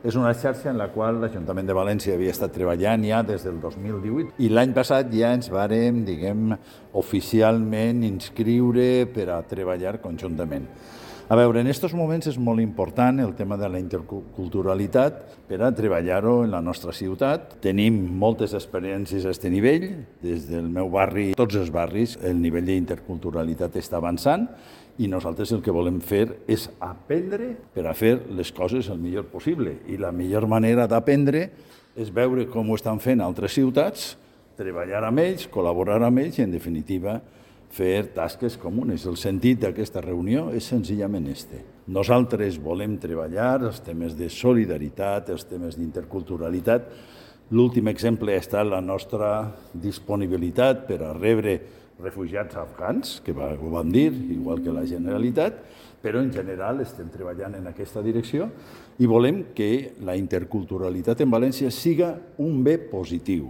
És una xarxa en la qual l'Ajuntament de València havia estat treballant ja des del 2018 i l'any passat ja ens vàrem, oficialment inscriure per a treballar conjuntament. A veure, en aquests moments és molt important el tema de la interculturalitat per a treballar-ho en la nostra ciutat. Tenim moltes experiències a aquest nivell. Des del meu barri, tots els barris, el nivell d'interculturalitat està avançant i nosaltres el que volem fer és aprendre per a fer les coses el millor possible. I la millor manera d'aprendre és veure com ho estan fent altres ciutats, treballar amb ells, col·laborar amb ells i, en definitiva, fer tasques comunes. El sentit d'aquesta reunió és senzillament este. Nosaltres volem treballar els temes de solidaritat, els temes d'interculturalitat. L'últim exemple ha estat la nostra disponibilitat per a rebre refugiats afgans, que ho vam dir, igual que la Generalitat, però en general estem treballant en aquesta direcció i volem que la interculturalitat en València siga un bé positiu.